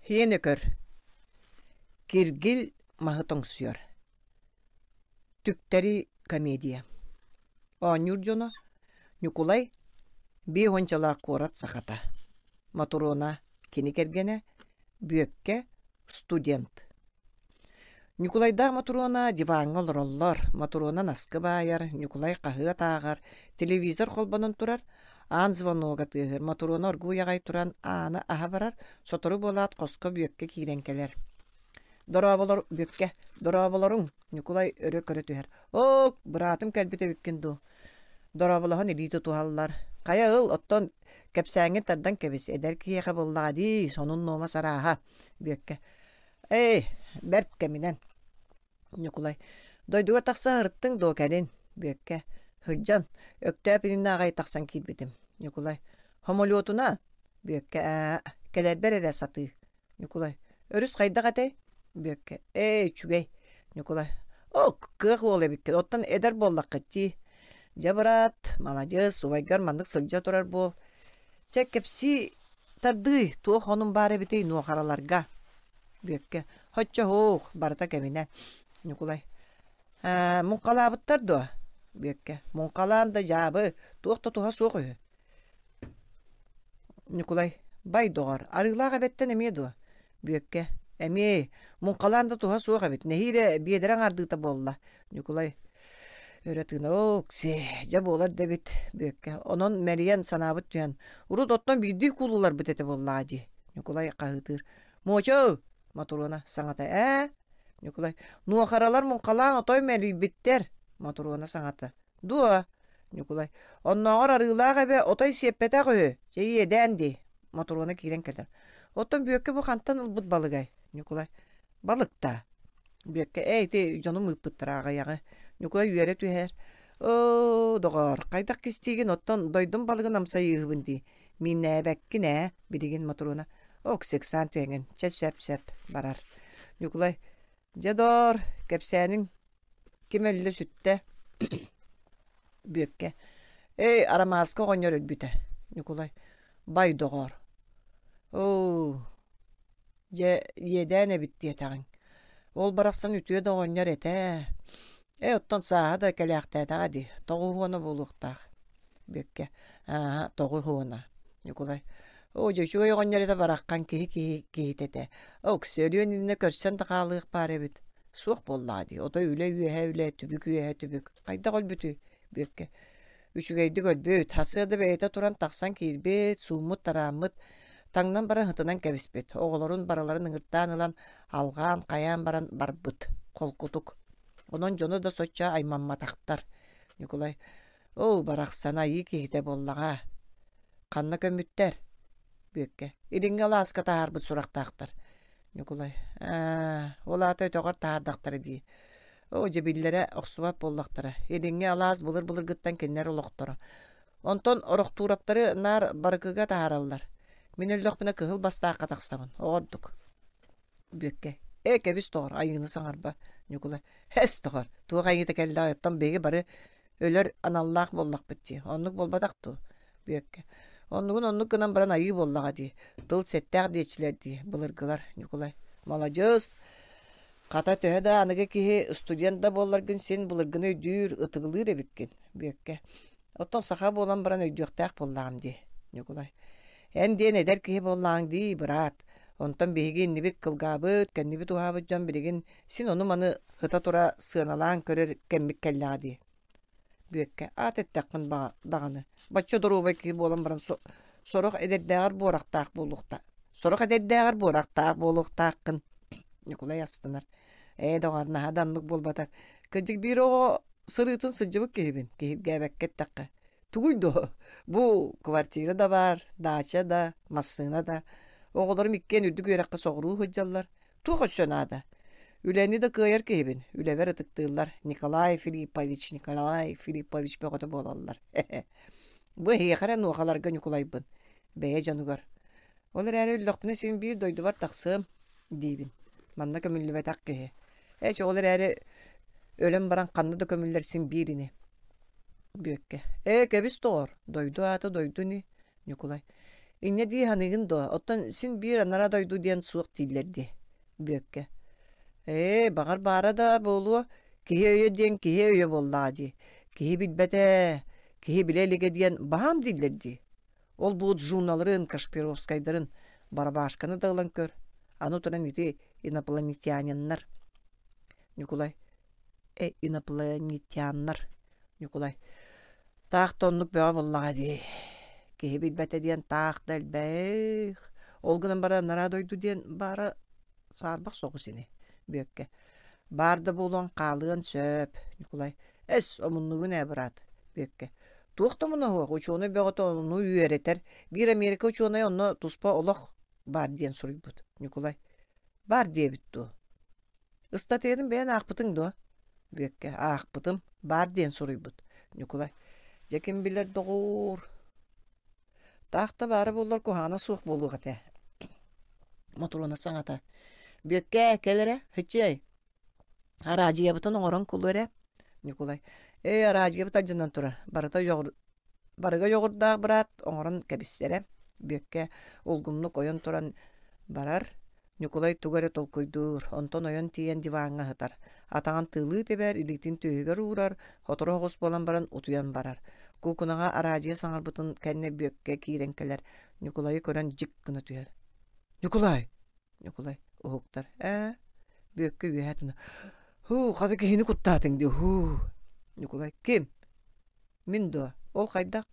Һиэн өкөр, Киргил маһы тоҥсуйар, Түктэри комедия Оонньуур дьоно Ньукулай биэ уончалаах куорат сахата, Мотуруона кини кэргэнэ, Бүөккэ студент. Ньукулайдаах Мотуруона диваҥҥа олороллор, Мотуруона наскы баайар, Ньукулай хаһыат ааҕар, телевизор холбонон турар, аан звонога тыаһыыр, Мотуруона оргууй аҕай туран ааны аһа барар, сотору буолаат хоско Бүөккэ киирэн кэлэр. «Дорооболор, Бүөккэ, дорооболоруҥ!» Ньукулай өрө көрө түһэр. «Ок, быраатым кэлбит эбиккин дуу?» Дорооболоһон илии тутуһаллар. «Хайа ыл, оттон кэпсээҥҥин тардан кэбис, эдэр киһиэхэ буоллаҕа дии, сонун-нуомас арааһа» Бүөккэ Ээ, бэрт кэминэн. Ньукулай, дойдуга тахса сырыттыҥ дуо кэлин? Бүөккэ, сылдьан, Өктөөп иннинэ аҕай тахсан киирбитим. Ньукулай, хомолуотуна? Бүөккэ, ээ, кэлэрбэр эрэ сатыы. Ньукулай, өрүс хайдах этэй? Бүөккэ, ээ, үчүгэй. Ньукулай, оо, кыах уол эбиккин, оттон эдэр буоллаххыт дии. Дьэ, быраат, маладьыас, убайгар маннык сылдьа турар буол. Чэ, кэпсии Тардыый, туох онун баар эбитий нуохараларга? Бүөккэ, Һоччоһуох, барыта кэминэ. Ньукулай, «Ээ, муҥхалаабыттар дуо?» Бүөккэ, «Муҥхалаан да дьаабы, туох да туһа суох үһү». Ньукулай, «Бай, доҕор, арыылаах эбэттэн эмиэ дуо?» Бүөккэ, «Эмиэ, муҥхалаан да туһа суох эбит, нэһиилэ биэдэрэ аҥаардыыта буолла». Ньукулай өрө тыына «Оок-сиэ, дьэ буолар да эбит» Бүөккэ, «Онон мэлийэн санаабыт түһэн, урут оттон биирдии куулуларбыт этэ буоллаҕа дии» Ньукулай хаһыытыыр «Муочу!» Мотуруона саҥата «Ээ?» Ньукулай «Нуохаралар муҥхалаан отой мэлийбиттэр» Мотуруона саҥата «Дуо?» Ньукулай «Оннооҕор арыылаах эбэ отой сиэппэтэх үһү, чэ иэдээн дии» Мотуруона киирэн кэлэр «Оттон Бүөккэ бу хантан ылбыт балыгай?» Ньукулай «Балыкта». Бүөккэ «Ээ ити дьонум ыыппыттара аҕыйаҕы». Ньукулай үөрэ түһэр «Оо, доҕоор, хайдах кистиигин, оттон дойдум балыгын амсайыыһыбын дии. Мииннээбэккин ээ, билигин Мотуруона «Ок, ыксаан түһэҥҥин, чэ сөп-сөп» барар. Ньукулай «Дьэ доор, кэпсээниҥ ким өллө сүттэ?» Бүөккэ «Эй, Арамааска оҕонньор өлбүтэ». Ньукулай «Бай, доҕоор, оо, дьэ иэдээн эбит диэтэҕиҥ. Ол барахсан үтүө да оҕонньор этэ ээ. Ээ, оттон сааһа да кэлээхтээтэҕэ дии, тоҕуһуона буолуохтаах». Бүөккэ «Аа, тоҕуһуона». Ньукулай «Оо, дьэ үчүгэй оҕонньор этэ бараххан киһи киһи киһитэ этэ. Оксиэ, өлүөн иннинэ көрсөн да хаалыах баар эбит. Суох буоллаҕа дии, отой үлэ үөһэ үлэ, түбүк үөһэ түбүк. Хайдах өлбүтүй?» Бүөккэ Үчүгэйдик өлбүт, сарсыарда бэйэтэ туран тахсан киирбит, сууммут-тарааммыт, таҥнан баран ытынан кэбиспит, оҕолорун барыларын ыҥыртаан ылан алҕаан хайаан баран барбыт, холкутук. Онон дьоно да соччо аймамматахтар. Ньукулай «Оо, барахсан айыы киһитэ буоллаҕа. Ханна көммүттэр?» Бүөккэ «Илиҥҥи алааска таһаарбыт сурахтаахтар». Ньукулай «Аа, ол аата өтөҕөр таһаардахтара дии. Оо, дьэ биллэрэ охсубат буоллахтара. Илиҥҥи алаас былыр-былыргыттан кинилэр олохторо. Онтон Орохтуураптары наар барыкыга таһаараллар. Мин өллөхпүнэ кыһыл бастаахха тахсабын. Оҕордук. Бүөккэ. Ээ, кэбис доҕор, айыыны саҥарба. Ньукулай. Эс доҕор, туох айыыта кэллэҕэй, оттон биһиги бары өлөр аналлаах буоллахпыт дии. Оннук буолбатах дуо? Бүөккэ. Оннугун оннук гынан баран айыы буоллаҕа дии. Тыл сэттээх диэччилэр дии, былыргылар. Ньукулай. Маладьыас! Хата төһө да аныгы киһи студент да буолларгын син былыргыны өйдүүр, ытыгылыыр эбиккин, Бүөккэ. Оттон саха буолан баран өйдүөхтээх буоллаҕым дии, Ньукулай. Эн диэн эдэр киһи буоллаҕыҥ дии, быраат. Онтон биһиги иннибит кылгаабыт, кэннибит уһаабыт дьон билигин син ону-маны сыта-тура сыаналаан көрөр кэммит кэллэҕэ дии. Бүөккэ, аат эттэххин даҕаны, бачча доруобай киһи буолан баран сорох эдэрдээҕэр буорахтаах буолуохта сорох эдэрдээҕэр буорахтаах буолуохтааххын Ньукулай астынар. Ээ, доҕор, наһаа да оннук буолбатар. Кырдьык биир оҕо сырыытын сылдьыбыт киһибин, киһиргээбэккэ эттэххэ. Тугуй дуо? Бу квартира да баар, даача да, массыына да. Оҕолорум иккиэн үрдүк үөрэххэ соҕуруу сылдьаллар. Туох өссө наада? Үлэни да кыайар киһибин, үлэбэр ытыктыыллар. Николай Филиппович, Николай Филиппович бөҕөтө буолаллар. Бу эһиэхэ эрэ нуохаларга Ньукулайбын, бэйэ дьонугар. Ол эрээри өллөхпүнэ син биир дойдубар тахсыам диибин. Манна көмүллүбэтэх киһи. Эч ол эрээри өлөн баран ханна да көмүллэр син биир ини. Бүөккэ. Ээ, кэбис доҕор, дойду аата дойду ини. Ньукулай. Инньэ дии саныыгын дуо? Оттон син биир анараа дойду диэн суох дииллэр дии, Бүөккэ. Ээ, баҕар баара да буолуо. Киһи өйө диэн киһи өйө буоллаҕа дии. Киһи билбэтэ, киһи билэ илигэ диэн баһаам дииллэр дии. Ол бу Джуналарын, Кашпировскайдарын, Барабашканы да ылан көр. Аны туран ити инопланетяниннар. Ньукулай. Э, инопланетяннар. Ньукулай. Таах да оннук бөҕө буоллаҕа дии. Киһи билбэтэ диэн таах да элбэх. Ол гынан баран анараа дойду диэн баара саарбах соҕус ини, Бүөккэ. Баар да буолуон хаалыан сөп, Ньукулай. Эс, омуннугун ээ, быраат, Бүөккэ. Туох да омуна суох, учуонай бөҕөтө ону үөрэтэр. Биир Америка учуонайа онно туспа олох баар диэн суруйбут, Ньукулай. Баар диэбит дуо? Ыстатыйатын бэйэн аахпытыҥ дуо? Бүөккэ аахпытым, баар диэн суруйбут. Ньукулай дьэ ким билэр доҕоор? Таах да баара буоллар куһаҕана суох буолуох этэ. Мотуруона саҥата Бүөккээ, кэл эрэ, һыччыай, араадьыйабытын оҥорон кулу эрэ. Ньукулай ээ, араадьыйабыт алдьанан турар, барыта Барыга дьоҕурдаах быраат оҥорон кэбиссэрэ, Бүөккэ улгумнук ойон туран барар, Ньукулай тугу эрэ толкуйдуур, онтон ойон тиийэн диваҥҥа сытар, атаҕын тыылыы тэбэр, илиитин түөһүгэр уурар, сотору оҕус буолан баран утуйан барар. Куукунаҕа араадьыйа саҥарбытын кэннэ Бүөккэ киирэн кэлэр, Ньукулайы көрөн дьик гына түһэр. «Ньукулай!» Ньукулай уһуктар. «Ээ?» Бүөккэ үөһэ тына «Һуу, хата киһини куттаатыҥ дии, һуу!» Ньукулай «Ким?» Мин дуо? Ол хайдах?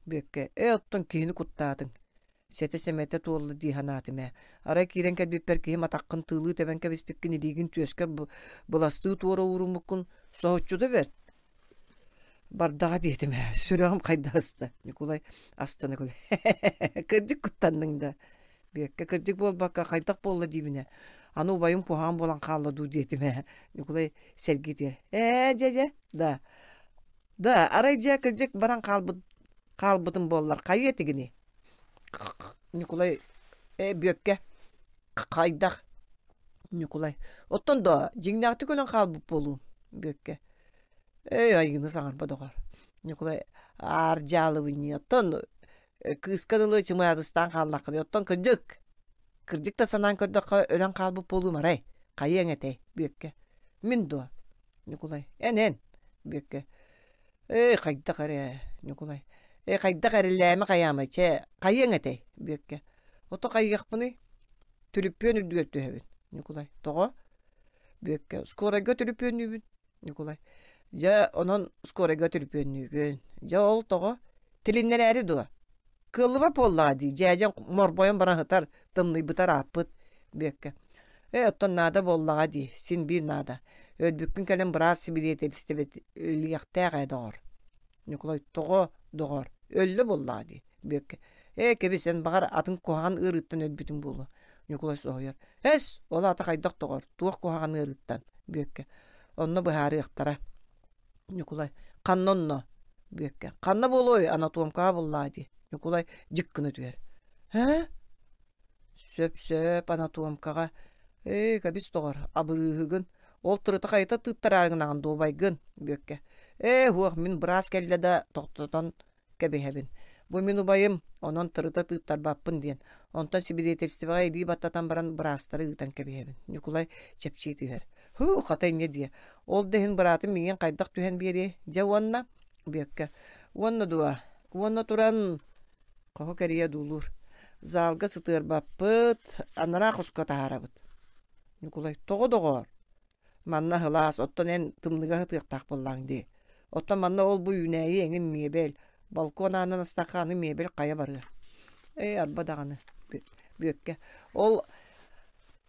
Бүөккэ, ээ оттон киһини куттаатыҥ. Сэтэ-сэмэтэ туолла дии санаатым ээ. Арай киирэн кэлбиппэр киһим атаххын тыылыы тэбэн кэбиспиккин илиигин түөскэр быластыы туора ууруммуккун соһуччута бэрт. Бардаҕа диэтим ээ, сүрэҕим хайда ыста. Ньукулай астына күлэ. Кырдьык куттанныҥ да. Бүөккэ кырдьык буолбакка хайдах буолла диибинэ. Аны убайым куһаҕан буолан хаалла дуу диэтим ээ. Ньукулай сэргиитигэр ээ дьэ дьэ да Да, арай дьэ кырдьык баран хаалбыт хаалбытым буоллар хайыа этигиний? Ньукулай ээ Бүөккэ хайдах? Ньукулай оттон доо дьиҥнээхтик өлөн хаалбыт буолуум Бүөккэ эй айыыны саҥарба доҕор Ньукулай аар дьаалыбынньыы оттон кыыска дылы чымаадыстаан хааллаххыный оттон кырдьык кырдьык да санаан көрдөххө өлөн хаалбыт буолуум арай хайыаҥ этэй Бүөккэ мин дуо Ньукулай эн эн Бүөккэ ээ хайдах эрэ Ньукулай ээ хайдах эрэлээмэ хайаамай чэ хайыаҥ этэй Бүөккэ ото хайыахпыный түлүппүөн үрдүгэр түһэбин Ньукулай тоҕо Бүөккэ скорайга түлүпүөннүүбүн Ньукулай дьэ онон скорайга түлүпүөннүүгүн дьэ ол тоҕо тилиннэрээри дуо Кыаллыбат буоллаҕа дии, дьээдьэҥ морбойон баран сытар, тымныйбыта ырааппыт, Бүөккэ. Ээ, оттон наада буоллаҕа дии, син биир наада. Өлбүккүн кэлэн быраас сибидиэтэлистибэлиэхтээх ээ, доҕор. Ньукулай, тоҕо, доҕор, өллө буоллаҕа дии, Бүөккэ. Ээ, кэбис, эн баҕар атын куһаҕан ыарыыттан өлбүтүҥ буолуо. Ньукулай соһуйар. Эс, ол аата хайдах доҕор, туох куһаҕан ыарыыттан? Бүөккэ. Онно быһаарыахтара. Ньукулай «Ханна онно?» Бүөккэ «Ханна буолуой, анатомкаҕа буллаа дии» Ньукулай дьик гына түһэр «Һэ? Сөп-сөп, анатомкаҕа. Ээ, кэбис доҕор, абырыыһыгын. Ол тырыта хайыта тыыттараары гынаҕын дуобайгын» Бүөккэ «Ээ, һуох, мин быраас кэллэ да тохтотон кэбиһэбин. Бу мин убайым, онон тырыта тыыттарбаппын диэн. Онтон сибидиэтэлистибэҕэ илии баттатан баран быраастары ыытан кэбиһэбин. Ньукулай чэпчии түһэр. Һуу, хата инньэ диэ. Ол да иһин быраатым миигин хайдах түһэн биэриэй? Дьэ уонна? Бүөккэ. Уонна дуо? Уонна туран хоһу кэрийэ одуулуур. Залга сытыарбаппыт, анараа хоско таһаарабыт. Ньукулай, тоҕо доҕоор? Манна сылаас, оттон эн тымныыга сытыахтаах буоллаҕыҥ дии. Оттон манна ол-бу үүнээйи эҥин миэбэл, балкон аанын астахха аны миэбэл хайа барыа. Ээ, арба даҕаны, Бүөккэ. Ол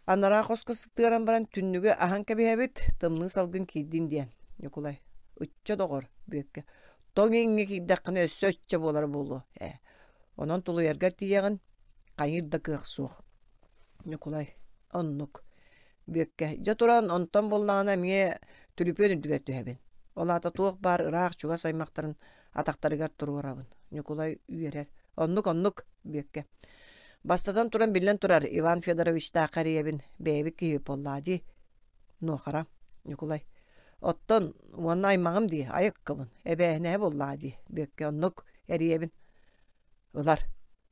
анараа хоско сытыаран баран түннүгү аһан кэбиһэбит, тымныы салгын киирдин диэн. Ньукулай, ычча доҕор, Бүөккэ. Тоҥ иҥҥэ киирдэххинэ өссө ычча буолара буолуо. Ээ, онон тулуйаргар тиийэҕин, хайыыр да кыах суох. Ньукулай, оннук. Бүөккэ, дьэ туран, онтон буоллаҕына эмиэ түлүпүөн үрдүгэр түһэбин. Ол аата туох баар ыраах-чугас аймахтарын атахтарыгар туруорабын. Ньукулай үөрэр. Оннук, оннук, Бүөккэ. Бастатан туран биллэн турар, Иван Федоровичтаахха эрийэбин, бэйэбит киһи буоллаа дии. Нуохара, Ньукулай. Оттон уонна аймаҕым дии, айыккабын, эбээһинэһэ буоллаҕа дии, Бүөккэ, оннук, эрийэбин. Ылар.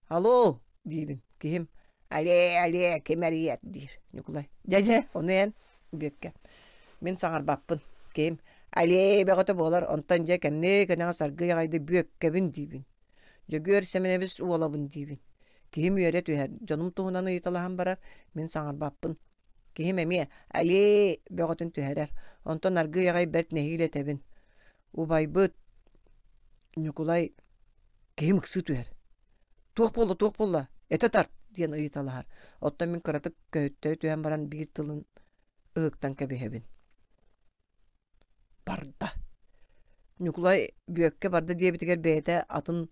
Алло диибин. Киһим алле алле ким эрийэр диир Ньукулай. Дьэ дьэ ону эн Бүөккэ. Мин саҥарбаппын. Киһим алле бөҕөтө буолар онтон дьэ кэмниэ кэнэҕэс аргыый аҕайдык Бүөккэбин диибин. Дьөгүөр Сэмэнэбис уолабын диибин. Киһим үөрэ түһэр, дьонум туһунан ыйыталаһан барар, мин саҥарбаппын. Киһим эмиэ «Алле» бөҕөтүн түһэрэр, онтон аргыый аҕай бэрт нэһиилэ этэбин. Убайбыт Ньукулай киһим ыксыы түһэр. «Туох буолла, туох буолла? Этэ тарт!» диэн ыйыталаһар. Оттон мин кыратык көһүттэрэ түһэн баран биир тылын ыһыктан кэбиһэбин. Барда. Ньукулай Бүөккэ барда диэбитигэр бэйэтэ атын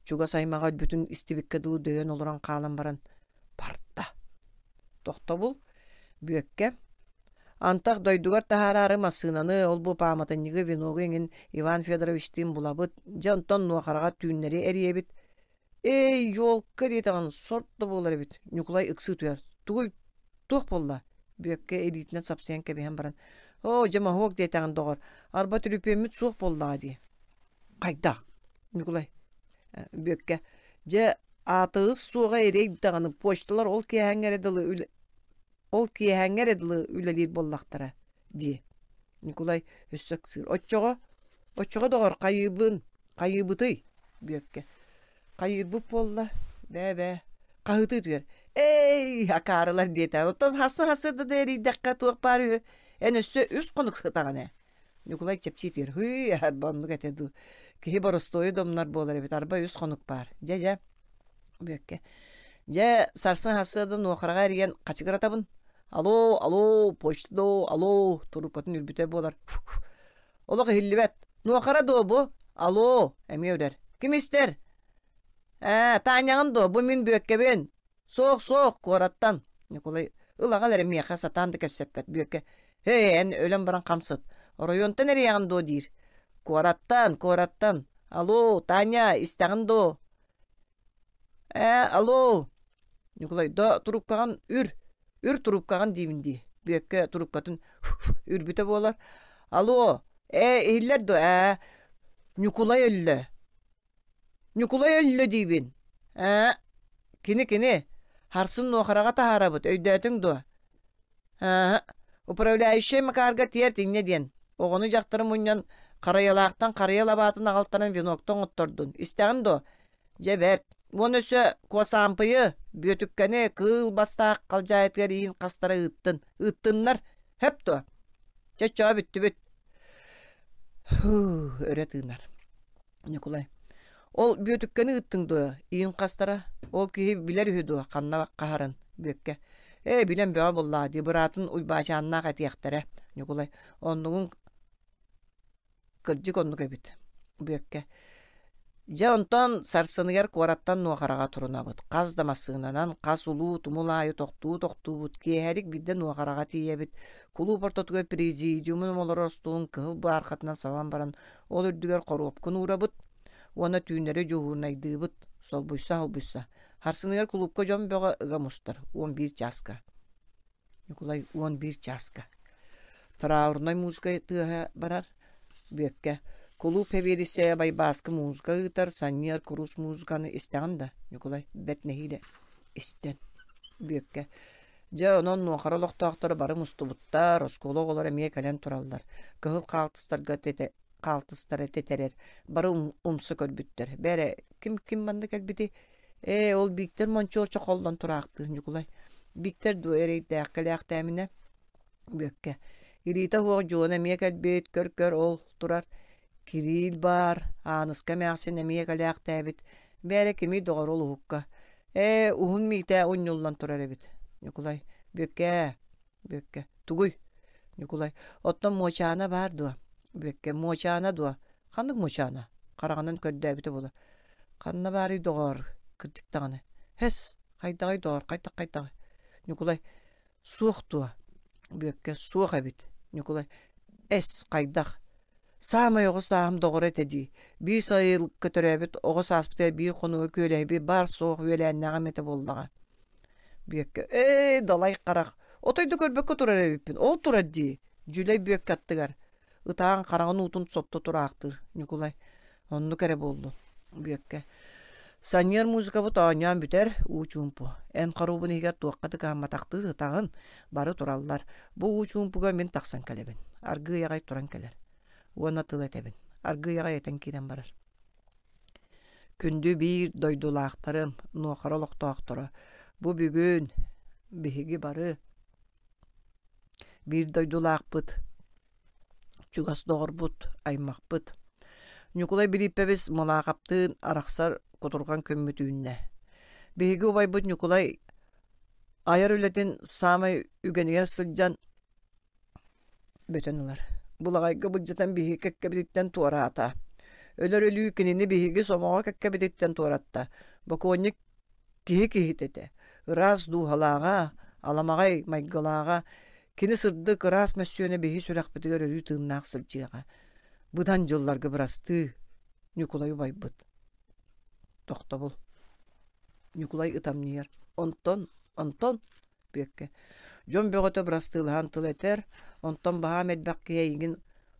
чугас аймаҕа өлбүтүн истибиккэ дылы дөйөн олорон хаалан баран барда. Тохтобул Бүөккэ Антах дойдугар таһаараары массыынаны, ол-бу пааматынньыгы, веногу эҥин Иван Федоровичтыын булабыт. Дьэ онтон Нуохараҕа түүннэри эрийэбит. Эй, елка диэтэҕин, сорт да буолар эбит, Ньукулай ыксыы түһэр. Тугуй, туох буолла? Бүөккэ илиитинэн сапсыйан кэбиһэн баран, оо, дьэ моһуок диэтэҕин доҕор, арба түлүпүөммүт суох буоллаҕа дии. Хайдах? Ньукулай Бүөккэ, дьэ, аатыгыс суоҕа эрэй даҕаны, почталар ол киэһээҥҥэ эрэ дылы үлэ Ол киэһээҥҥэ эрэ дылы үлэлиир буоллахтара дии. Ньукулай өссө ыксыыр. Оччоҕо, оччоҕо доҕор хайыыбын, хайыыбытый? Бүөккэ. Хайыырбыт буолла, бээ-бээ. Хаһыытыы түһэр. Эй, акаарылар диэтэ. Оттон хассы-хассы да эрийдэххэ туох баар үһү. Эн өссө үс хонук сытаҕын ээ. Ньукулай чэпчии түһэр. Һыы, арба оннук этэ дуу. Киһи боростуойу домнор буолар эбит. Арба үс хонук баар. Дьэ-дьэ. Бүөккэ. Дьэ, сарсын сарсыарда Нуохараҕа эрийэн хачыгыратабын. Алло, алло, почта доо, алло, трубкатын үрбүтэ буолар. Олох иһиллибэт. Нуохара дуо бу? Алло, эмиэ үрэр. Ким истэр? Ээ, Таанньаҕын дуо, бу мин Бүөккэбин. Суох, суох, куораттан. Ньукулай ыл аҕал эрэ миэхэ сатаан да кэпсэппэт Бүөккэ. Эй, эн өлөн баран хамсат. Оройуонтан эрийэҕин дуо диир. Куораттан, куораттан. Алло, Таня, истэҕин дуо? Ээ, алло. Ньукулай, да трубкаҕын үр, үр трубкаҕын диибин дии. Бүөккэ трубкатын үрбүтэ буолар. Алло, ээ, иһиллэр дуо? Ээ, Ньукулай өллө. Ньукулай өллө диибин. Ээ, кини кини. Харсын Нуохараҕа таһаарабыт, өйдөөтүҥ дуо? Аа, управляющай Макарга тиэрт инньэ диэн. Оҕону-дьахтары мунньан Харайалаахтан харыйа лабаатын аҕалтаран венокта оҥоттордун. Истэҕин дуо? Дьэ бэрт. Уонна өссө Куосаампыйы, Бүөтүккэни кыыл бастаах халдьаайытыгар иин хастара ыыттын. Ыыттыннар. Хөп дуо? Чэ, чоо бүттүбүт. Һуу, өрө тыынар. Ньукулай: Ол Бүөтүккэни ыыттыҥ дуо, иин хастара? Ол киһи билэр үһү дуо, ханна хаһарын? Бүөккэ: Ээ, билэн бөҕө буоллаҕа дии, быраатын Уйбаачааннаах этиэхтэрэ. Ньукулай: Оннугун кырдьык оннук эбит. Бүөккэ: Дьэ онтон сарсыныгар куораттан Нуохараҕа турунабыт. Хас да массыынанан хас улуу тумул аайы тохтуу-тохтуубут. Киэһэлик биирдэ Нуохараҕа тиийэбит. Кулууп ортотугар президиумун олорор остуолун кыһыл баархатынан сабан баран Ол үрдүгэр хоруопкун уурабыт уонна түүннэри дьуһуурунайдыыбыт, солбуйса-солбуйса. Харсыныгар кулуупка дьон бөҕө ыга мустар, 11 чааска. Ньукулай 11 чааска. Траурнай музыка тыаһа барар. Бүөккэ. Кулууп сэбиэдиссэйэ Байбааскы музыка ыытар, санньыар курус музыканы истэҕин да, Ньукулай бэрт нэһиилэ истэн. Бүөккэ. Дьэ, онон Нуохара олохтоохторо бары мустубуттар, оскуола оҕолоро эмиэ кэлэн тураллар. Кыһыл хаалтыстарга тэтэ хаалтыстара тэтэрэр, бары умса көрбүттэр. Бээрэ, ким ким манна кэлбитий? Ээ, ол Бииктэр Мончуорча холлон тураахтыыр Ньукулай. Бииктэр дуо эрэйдээх кэлээхтээминэ? Бүөккэ. Илиитэ суох Дьуона эмиэ кэлбит, көр-көр ол турар. Кириил баар, Ааныска эмээхсин эмиэ кэлээхтээбит. Бээрэ кимий доҕор ол уһукка? Ээ, уһун Миитээ унньуллан турар эбит. Ньукулай, Бүөккээ, Бүөккэ, тугуй? Ньукулай, оттон Муочаана баар дуо? Бүөккэ, Муочаана дуо? Ханнык Муочаана? Хараҕынан көрдөөбүтэ буолар. Ханна баарый доҕоор, кырдьык даҕаны. Һэс, хайдаҕый доҕор, хайдах хайдаҕый? Ньукулай, Суох дуо? Бүөккэ суох эбит. Ньукулай эс, хайдах? Саамай оҕо сааһым доҕоро этэ дии. Биир сайылыкка төрөөбүт оҕо сааспытыгар биир хонуга күөлэһийбит баар-суох үөлээннээҕим этэ буоллаҕа. Бүөккэ ээ, далай харах, отой да көрбөккө турар эбиппин, ол турар дии, Дьүлэй Бүөккэ аттыгар. Ытаан хараҕын уутун сотто тураахтыыр Ньукулай. Оннук эрэ буоллун. Бүөккэ. Санньыар музыкабыт оонньоон бүтэр, уу чуумпу. Эн хоруобун иһигэр туохха да кыһамматахтыы сытаҕын, бары тураллар. Бу уу чуумпуга мин тахсан кэлэбин. Аргыый аҕай туран кэлэр. Уонна тыл этэбин. Аргыый аҕай этэн киирэн барар. Күндү биир дойдулаахтарым, Нуохара олохтоохторо, бу бүгүн биһиги бары биир дойдулаахпыт, чугас доҕорбут, аймахпыт. Ньукулай Билииппэбис Мылаахаптыын арахсар кутурҕан күммүт үүннэ. Биһиги убайбыт Ньукулай айар үлэтин саамай үгэнигэр сылдьан бөтөн ылар. Былаҕайга былдьатан биһиги кэккэбититтэн туораата. Өлөр өлүү кинини биһиги сомоҕо кэккэбититтэн туоратта. Бокуонньук киһи киһитэ этэ. Ыраас дууһалааҕа, аламаҕай майгылааҕа, кини сырдык, ыраас мөссүөнэ биһи сүрэхпитигэр өрүү тыыннаах сылдьыаҕа. Быдан дьылларга бырастыы, Ньукулай убайбыт. Тохтобул. Ньукулай ытамньыйар. Онтон, онтон Бүөккэ. Дьон бөҕөтө бырастыылаһан тыл этэр, онтон баһаам элбэх киһи эйигин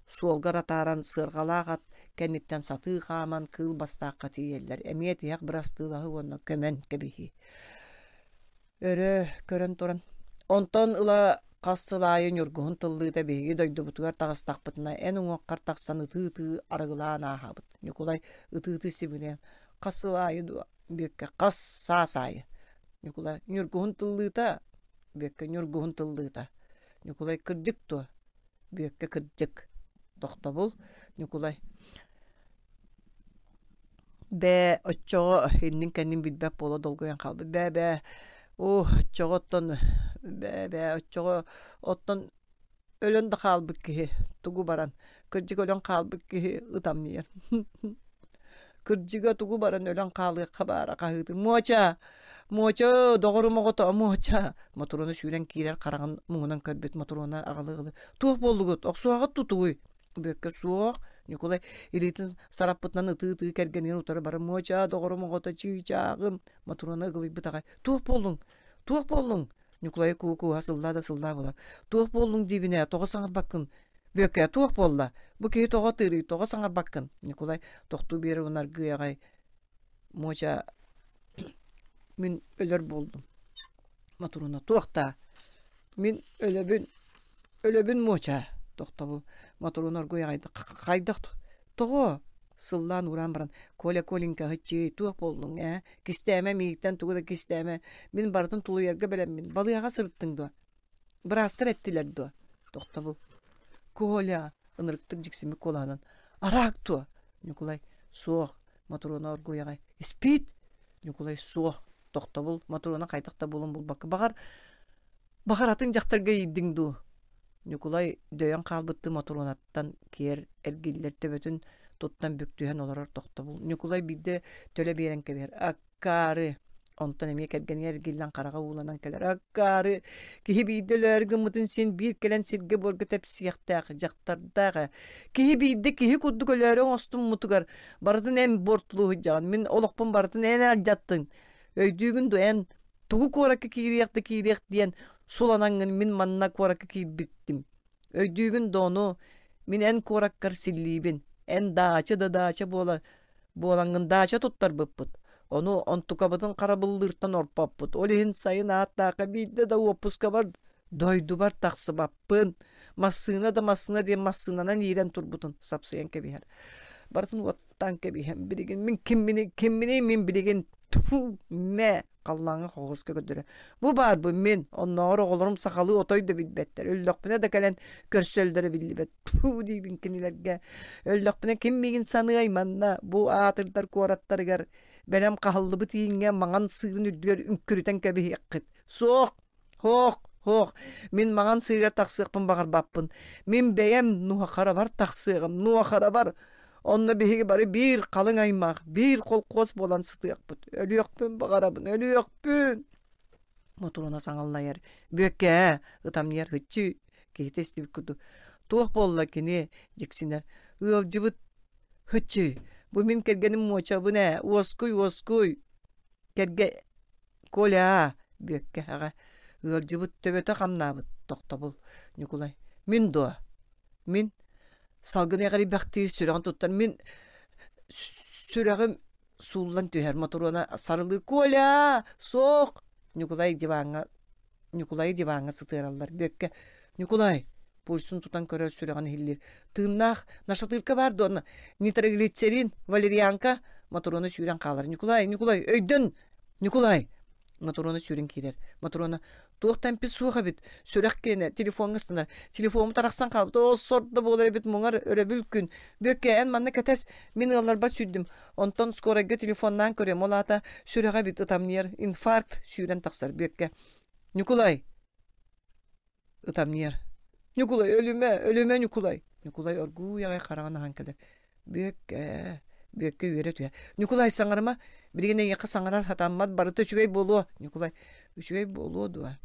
суолгар атааран сыарҕалаах ат кэнниттэн сатыы хааман кыыл бастаахха тиийэллэр. Эмиэ тиһэх бырастыылаһыы уонна көмөн кэбиһии. Өрө көрөн туран Онтон ыла хас сыл аайы ньургуһун тыллыыта биһиги дойдубутугар таҕыстахпытына эн уҥуоххар тахсан ытыы-ытыы арыгылаан ааһабыт. Ньукулай ытыы-ытыы сибилээн хас сыл аайы дуо Бүөккэ хас саас аайы Ньукулай Ньургуһун тыллыыта Бүөккэ Ньургуһун тыллыыта Ньукулай кырдьык дуо Бүөккэ кырдьык Тохтобул Ньукулай Бээ оччоҕо иннин-кэннин билбэт буола долгуйан хаалбыт бээ-бээ оо оччоҕо оттон бээ-бээ оччоҕо оттон өлөн да хаалбыт киһи тугу баран кырдьык өлөн хаалбыт киһи ытамньыйар кырдьыга тугу баран өлөн хаалыахха баара хаһыытын муоча муоча доҕорум оҕото муоча Мотуруона сүүрэн киирэр хараҕын муҥунан көрбүт Мотуруона аҕалыы-аҕалыы туох буоллугут охсуоҕут тутугуй Бүөккэ суох Ньукулай илиитин сараппытынан ытыы-ытыы кэргэнигэр утары бары муоча доҕорум оҕото чыычааҕым Мотуруона ыгылыйбыт аҕай туох буоллуҥ туох буоллуҥ Ньукулайы куу-кууһа сыллаа да сыллаа буолар. Туох буоллуҥ диибин ээ, тоҕо саҥарбаккын? Бүөккэ, туох буолла? Бу киһи тоҕо ытыырый, тоҕо саҥарбаккын? Ньукулай тохтуу биэрэр уонна аргыый аҕай Муоча мин өлөр буоллум. Мотуруна туох даа? Мин өлөбүн, өлөбүн Муоча тохтобул. Мотуруна оргуй аҕай хайдах Тоҕо? Сыллаан уураан баран, Коля, Коленька, һыччыы, туох буоллуҥ, ээ? Кистээмэ, миигиттэн тугу да кистээмэ. Мин барытын тулуйарга бэлэммин. Балыыһаҕа сырыттыҥ дуо? Быраастар эттилэр дуо? Тохтобул. Коля, ынырыктык дьиксиммит куолаһынан, араак дуо? Ньукулай, суох. Мотуруона оргууй аҕай. Испиит? Ньукулай, суох. Тохтобул. Мотуруона хайдах да булун булбакка. Баҕар, Баҕар атын дьахтарга иирдиҥ дуу? Ньукулай дөйөн хаалбыттыы Мотуруонаттан киэр эргиллэр төбөтүн туттан бүк түһэн олорор тохтобул. Ньукулай биирдэ төлө биэрэн кэбиһэр. Аккаары! Онтон эмиэ кэргэнигэр эргиллэн хараҕа ууланан кэлэр. Аккаары! Киһи биирдэ өлөөрү гыммытын син биир кэлэн сиргэ-буорга тэпсиэхтээх дьахтардаах ээ. Киһи биирдэ киһи курдук өлөөрү оҥостуммутугар барытын эн буортулуу сылдьаҕын. Мин олохпун барытын эн алдьаттыҥ. Өйдүүгүн дуо эн Тугу куоракка киириэх да киириэх диэн суланаҥҥын мин манна куоракка киирбиттим. Өйдүүгүн да ону мин эн куораккар силлиибин. Эн даача да даача буола буолаҥҥын даача туттарбыппыт. Ону онтукабытын харабыллыыртан орпоппут. Ол иһин сайын ааттаахха биирдэ да уоппускабар дойдубар тахсыбаппын. Массыына да массыына диэн массыынанан иирэн турбутун сапсыйан кэбиһэр. Барытын уоттаан кэбиһэн билигин мин кимминий кимминий мин билигин Тьфу, мэ, халлааҥҥа хоҕуска көрдөрө. Бу баарбын мин, оннооҕор оҕолорум сахалыы отой да билбэттэр. Өллөхпүнэ да кэлэн көрсөллөрө биллибэт. Тьфу диибин кинилэргэ. Өллөхпүнэ ким миигин саныай манна, бу аатырдар куораттарыгар бэлэм хаһыллыбыт ииҥҥэ маҥан сыырын үрдүгэр үҥкүрүтэн кэбиһиэххит. Суох, Һоох, һоох, мин маҥан сыырга тахсыахпын баҕарбаппын. Мин бэйэм нуохарабар тахсыаҕым, нуохарабар. Онно биһиги бары биир халыҥ аймах, биир холкуос буолан сытыахпыт. Өлүөхпүн баҕарабын, өлүөхпүн. Мотуруона саҥаллайар. Бүөккээ, ытамньыйар һыччыы, киһитэ истибит курдук. Туох буолла кини, дьиксинэр. Ыалдьыбыт һыччыы, бу мин кэргэним муочабын ээ, уоскуй, уоскуй. Кэргэ Коля, Бүөккэ аҕа, ыалдьыбыт төбөтө хамнаабыт, тохтобул. Ньукулай, мин дуо? Мин салгын эҕирийбэхтиир сүрэҕин туттан мин сүрэҕим сууллан түһэр Мотуруона сарылыы «Коля! Суох!» Ньукулай диваҥҥа Ньукулайы диваҥҥа сытыараллар. Бүөккэ «Ньукулай!» пульсун тутан көрөр сүрэҕин иһиллиир. «Тыыннаах нашатырка баар дуо? Нитроглицерин, валерьянка?» Мотуруона сүүрэн хаалар. «Ньукулай, Ньукулай, өйдөн! Ньукулай!» Мотуруона сүүрэн киирэр. Мотуруона туох да эмпит суох эбит. Сүрэх киэнэ телефоҥҥа ыстанар. Телефоммут арахсан хаалбыт. Оо, сор да буолар эбит муҥар өрөбүл күн. Бүөккэ, эн манна кэтэс. Мин ыалларбар сүүрдүм. Онтон скорайга телефоннаан көрүөм. Ол аата сүрэҕэ эбит ытамньыйар. Инфаркт сүүрэн тахсар Бүөккэ. Ньукулай! Ытамньыйар. Ньукулай, өлүмэ, өлүмэ, Ньукулай! Ньукулай оргууй аҕай хараҕын аһан кэлэр. Бүөккэ, Бүөккэ үөрэ түһэр. Ньукулай, саҥарыма. Билигин эйиэхэ саҥарар сатаммат, барыта үчүгэй буолуо. Ньукулай, үчүгэй буолуо дуо?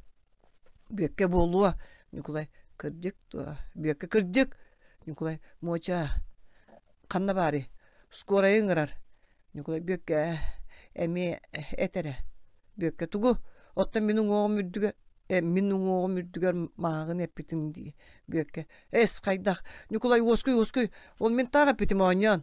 Бүөккэ буолуо. Ньукулай, кырдьык дуо? Бүөккэ, кырдьык! Ньукулай, Муоча, ханна баарый? Скорайы ыҥырар. Ньукулай Бүөккэ эмиэ эт эрэ. Бүөккэ тугу? Оттон мин уҥуоҕум үрдүгэр мин уҥуоҕум үрдүгэр мааҕын эппитим дии. Бүөккэ эс хайдах? Ньукулай уоскуй уоскуй ол мин таах эппитим оонньоон.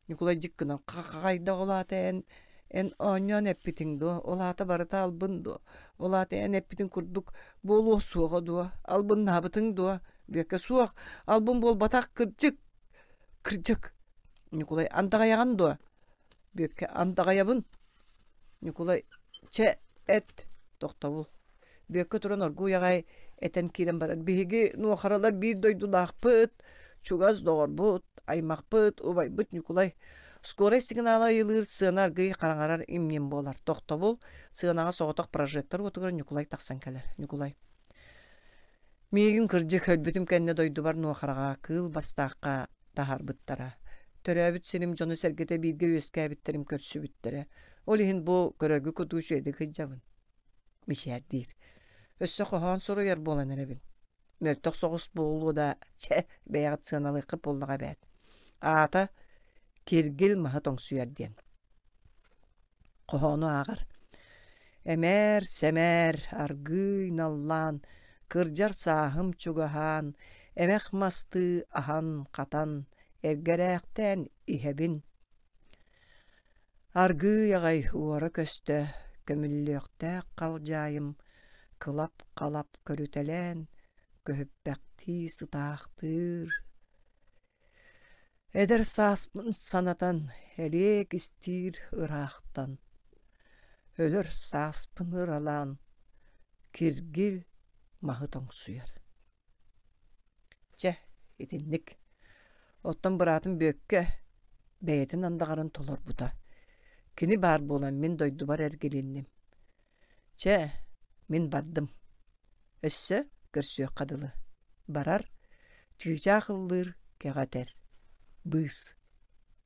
Ньукулай дьик гынан хайдах ол аата эн эн оонньоон эппитиҥ дуо? Ол аата барыта албын дуо? Ол аата эн эппитиҥ курдук буолуо суоҕа дуо? Албыннаабытыҥ дуо? Бүөккэ суох албын буолбатах кырдьык кырдьык Ньукулай андаҕайаҕын дуо? Бүөккэ андаҕайабын. Ньукулай чэ эт тохтобул. Бүөккэ туран оргууй аҕай этэн киирэн барар. Биһиги нуохаралар биир дойдулаахпыт, чугас доҕорбут, аймахпыт, убайбыт Ньукулай. Скорай сигнала ыйылыыр сыана аргыый хараҥарар имньин буолар. Тохтобул сыанаҕа соҕотох прожектор уотугар Ньукулай тахсан кэлэр. Ньукулай Миигин кырдьык өлбүтүм кэннэ дойдубар Нуохараҕа кыыл бастаахха таһаарбыттара. Төрөөбүт сирим дьоно-сэргэтэ бииргэ үөскээбиттэрим көрсүбүттэрэ. Ол иһин бу көрөргө курдук үчүгэйдик сылдьабын. Мичээрдиир. Өссө хоһоон суруйар буолан эрэбин. Мөлтөх соҕус буолуо да, чэ, бэйэҕит сыаналыаххыт буоллаҕа эбээт. Аата «Киргил маһы тоҥсуйар» диэн. Хоһоону ааҕар: Эмээр-сэмээр, аргыый наллаан, кырдьар сааһым чугаһаан, эмэх мастыы аһан-хатан, эргэрээхтээн иһэбин. Аргыый аҕай уора-көстө көмүллүөхтээх халдьаайым кылап-халап көрүтэлээн, көһүппэхтии сытаахтыыр. Эдэр сааспын санатан, элиэк истиир ыраахтан, өлөр сааспын ыралаан, киргил маһы тоҥсуйар. Чэ, итинник. Оттон быраатым Бүөккэ бэйэтин андаҕарын толорбута. Кини баар буолан мин дойдубар эргилинним. Чэ, мин бардым. Өссө көрсүөххэ дылы. Барар, чыычаах ыллыыр, кэҕэтэр. Быыс.